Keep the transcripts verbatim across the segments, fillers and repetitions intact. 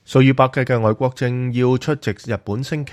數以百計嘅外國政要出席日本星期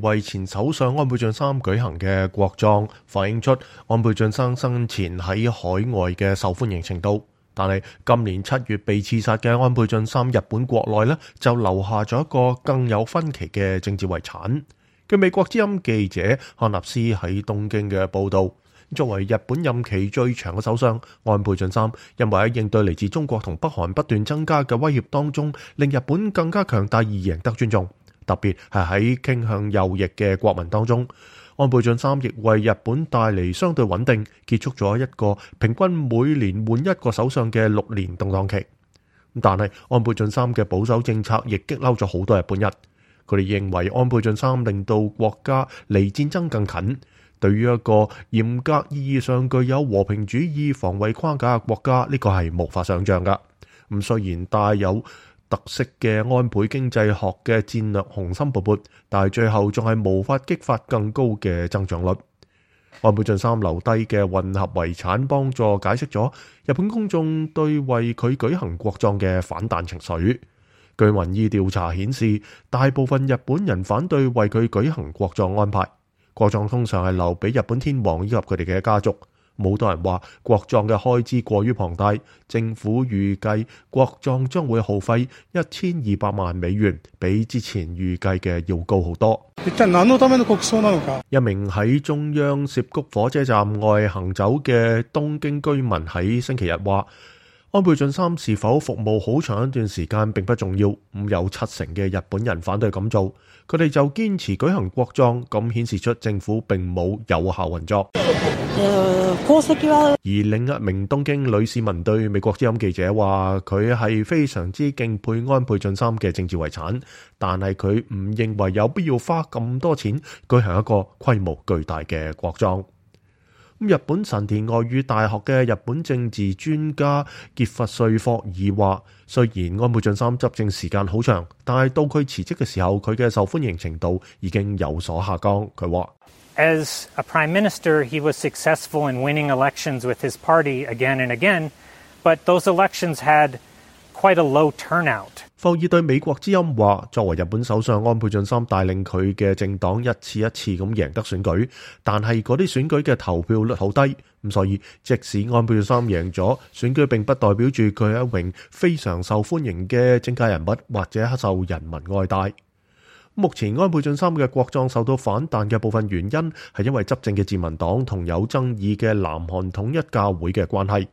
二為前首相安倍晉三舉行嘅國葬，反映出安倍晉三生前喺海外嘅受歡迎程度。但係今年七月被刺殺嘅安倍晉三，日本國內呢就留下咗一個更有分歧嘅政治遺產。據美國之音記者漢納斯喺東京嘅報導，作為日本任期最長嘅首相，安倍晉三因為喺應對嚟自中國同北韓不斷增加嘅威脅當中，令日本更加強大而贏得尊重。特別係喺傾向右翼嘅國民當中，安倍晉三亦為日本帶嚟相對穩定，結束咗一個平均每年換一個首相嘅六年動盪期。但係安倍晉三嘅保守政策亦激嬲咗好多日本人，佢哋認為安倍晉三令到國家離戰爭更近。對於一個嚴格意義上具有和平主義防衛框架嘅國家，呢個係無法想象噶。咁雖然帶有特色嘅安倍經濟學嘅戰略雄心勃勃，但係最後仲係無法激發更高嘅增長率。安倍晉三留低嘅混合遺產，幫助解釋咗日本公眾對為佢舉行國葬嘅反彈情緒。據民意調查顯示，大部分日本人反對為佢舉行國葬安排。國葬通常係留俾日本天皇以及佢哋嘅家族。好多人話國葬嘅開支過於龐大，政府預計國葬將會耗費一千二百萬美元，比之前預計嘅要高好多。一名喺中央涉谷火車站外行走嘅東京居民喺星期日話，安倍晉三是否服務好長一段時間並不重要，咁有七成嘅日本人反對咁做，佢哋就堅持舉行國葬，咁顯示出政府並冇有，有效運作。而另一名東京女市民對美國之音記者話，佢係非常之敬佩安倍晉三嘅政治遺產，但係佢唔認為有必要花咁多錢舉行一個規模巨大嘅國葬。日本神田外語大學嘅日本政治專家傑弗瑞霍爾話，雖然安倍晉三執政時間好長，但係到佢辭職嘅時候，佢嘅受歡迎程度已經有所下降。佢話，As a prime minister, he was successful in winning elections with his party again and again, but those elections had quite a low turnout. 霍爾對美國之音話，作為日本首相，安倍晉三帶領佢嘅政黨一次一次咁贏得選舉，但係嗰啲選舉嘅投票率好低，咁所以即使安倍晉三贏咗選舉，並不代表住佢係一名非常受歡迎嘅政界人物或者受人民愛戴。目前安倍晉三嘅國葬受到反彈嘅部分原因係因為執政嘅自民黨同有爭議嘅南韓統一教會嘅關係。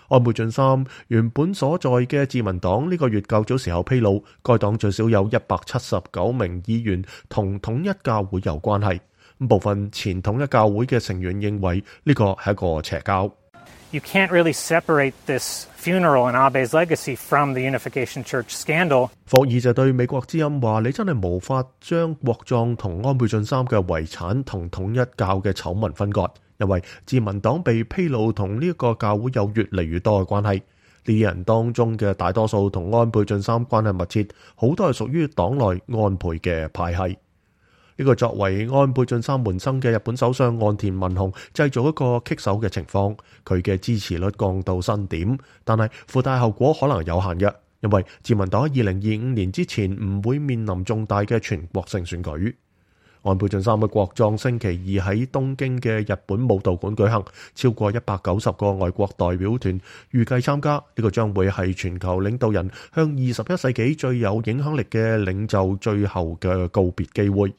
安倍晉三原本所在嘅自民黨呢個月較早時候披露，該黨最少有一百七十九名議員同統一教會有關係。部分前統一教會嘅成員認為呢個係一個邪教。You can't really separate this funeral and Abe's legacy from the Unification Church scandal. 霍爾就對美國之音話，你真係無法將國葬同安倍晉三嘅遺產同統一教嘅醜聞分割。因為自民黨被披露同呢一個教會有越嚟越多嘅關係，呢啲人當中嘅大多數同安倍晉三關係密切，好多係屬於黨內安倍嘅派系。呢個作為安倍晉三門生嘅日本首相岸田文雄製造一個棘手嘅情況，佢嘅支持率降到新點，但係附帶後果可能有限嘅，因為自民黨喺二零二五年之前唔會面臨重大嘅全國性選舉。安倍晉三嘅國葬星期二喺東京嘅日本武道館舉行，超過一百九十個外國代表團預計參加。呢、這個將會係全球領導人向二十一世紀最有影響力嘅領袖最後嘅告別機會。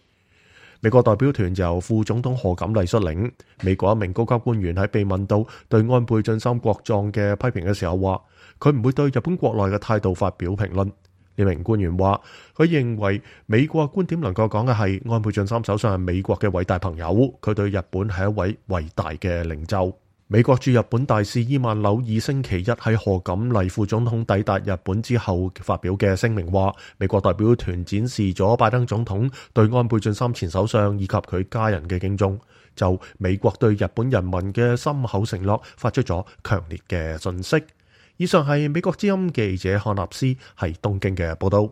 美國代表團由副總統賀錦麗率領。美國一名高級官員喺被問到對安倍晉三國葬嘅批評嘅時候話，佢唔會對日本國內嘅態度發表評論。呢名官員話，佢認為美國觀點能夠講嘅係安倍晉三首相係美國嘅偉大朋友，佢對日本係一位偉大嘅領袖。美國駐日本大使伊萬紐爾星期一喺賀錦麗副總統抵達日本之後發表嘅聲明話，美國代表團展示咗拜登總統對安倍晉三前首相以及佢家人嘅敬重，就美國對日本人民嘅深厚承諾發出咗強烈嘅訊息。以上係美國之音記者漢納斯喺東京嘅報道。